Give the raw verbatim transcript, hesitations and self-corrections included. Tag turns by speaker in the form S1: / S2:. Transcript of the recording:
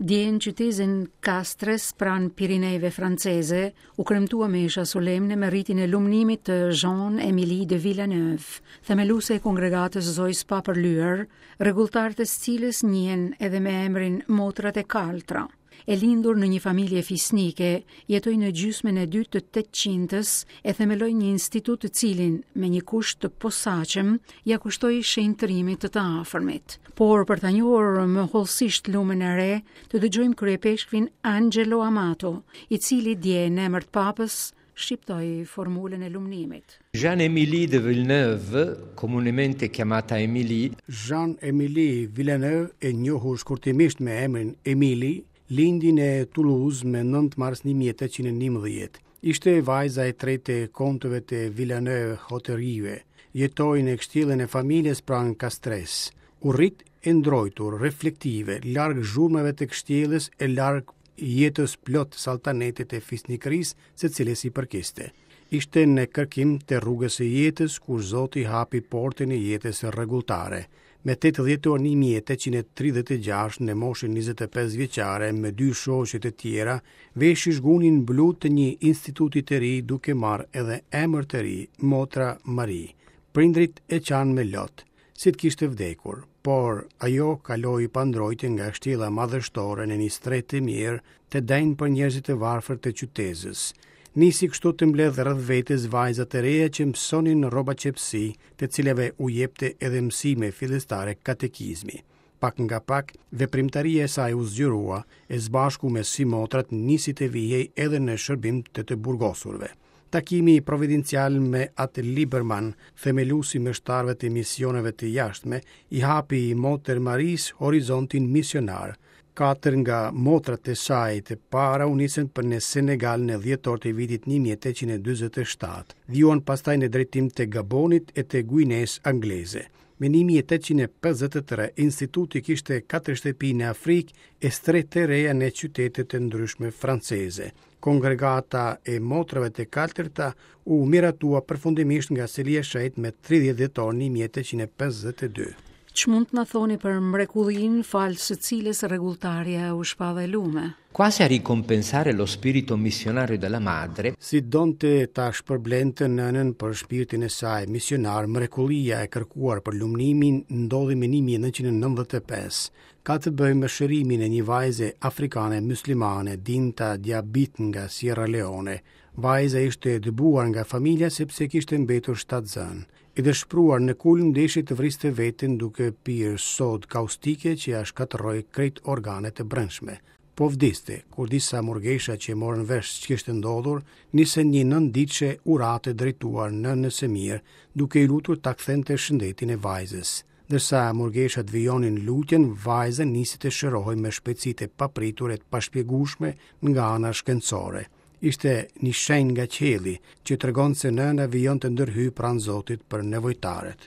S1: Dje në qytetin Castres pranë Pirinejve franceze u kremtua mesha solemne me ritin e lumnimit të Jeanne-Émilie de Villeneuve, themeluese e kongregatës Zojës Papërlyer, rregulltarët e së cilës njihen edhe me emrin Motrat e Kaltra. E lindur në një familje fisnike, jetoi në gjysmën e dytë të tetëqindës e themeloi një institut të cilin, me një kusht të posaçëm, ja kushtoi shenjtërimit të të afërmit. Por për ta njohur më hollësisht lumen e re, të dëgjojmë kryepeshkvin Angelo Amato, i cili dje në emër të papës shqiptoi formulën e lumnimit.
S2: Jeanne-Émilie de Villeneuve, comunemente chiamata Émilie,
S3: Jeanne-Émilie Villeneuve, e njohur shkurtimisht me emrin Emily, lindi në Toulouse me nëntë mars një mijë e tetëqind e njëmbëdhjetë. Ishte vajza e tretë e kontëve të Villeneuve-Hauterive. Jetoi në kështjellën e familjes pranë Castres. U rrit e ndrojtur, reflektive, larg zhurmave të kështjellës e larg jetës plot saltanetet e fisnikërisë së cilës i përkiste. Ishte në kërkim të rrugës së jetës kur Zoti hapi portën e jetës rregulltare. Me tetë dhjetor një mijë e tetëqind e tridhjetë e gjashtë, në moshën njëzet e pesë vjeçare, me dy shoqe të tjera, veshi zhgunin blu të një instituti të ri duke marrë edhe emër të ri, Motra Marie. Prindrit e qanë me lot, si të kishte vdekur, por ajo kaloi pa ndrojtje nga kështjella madhështore në një strehë të mirë, të denjë për njerëzit e varfër të qytezës. Nisi kështu të mbledh rreth vetes vajza të reja që mësonin rrobaqepsi, të cilave u jepte edhe mësime fillestare katekizmi. Pak nga pak, veprimtaria e saj u zgjerua, e zbashku me simotrat nisi të vihej edhe në shërbim të të burgosurve. Takimi providencial me atë Liberman, themeluesi meshtarëve të misioneve të jashtme, i hapi Motër Marisë horizontin misionar. Katër nga motrat e saj të para u nisën për në Senegal në dhjetor të vitit një mijë e tetëqind e dyzet e shtatë. Vijuan pastaj në drejtim të Gabonit e të Guinesë angleze. Me një mijë e tetëqind e pesëdhjetë e tre, instituti kishte katër shtëpi në Afrikë e strehë të reja në qytete të ndryshme franceze. Kongregata e motrave të kaltërta u miratua përfundimisht nga Selia e Shenjtë me tridhjetë dhjetor një mijë e tetëqind e pesëdhjetë e dy.
S1: Ç'mund të na thoni për mrekullinë falë së cilës rregulltarja u shpall e lume?
S2: Quasi a ricompensare lo spirito missionario della madre,
S3: si donte ta shpërblente nënën për shpirtin e saj misionar, mrekullia e kërkuar për lumnimin ndodhi më një mijë e nëntëqind e nëntëdhjetë e pesë. Ka të bëjë me shërimin e një vajze afrikane muslimane, Dinta Diabit nga Sierra Leone. Vajza ishte dëbuar nga familja sepse kishte mbetur shtatzënë. E dëshpëruar në kulm deshi të vriste veten duke pirë sodë kaustike që ja shkatërroi krejt organet e brendshme. Po vdiste, kur disa murgesha që morën vesh ç'kishte ndodhur, nisën një nënditëshe urate drejtuar nënës së mirë, duke i lutur ta kthente shëndetin e vajzës. Ndërsa murgeshat vijonin lutjen, vajza nisi të shërohej me shpejtësi të papritur e të pashpjegueshme nga ana shkencore. Ishte një shenjë nga qielli që tregon se nëna vijon të ndërhyjë pranë Zotit për nevojtarët.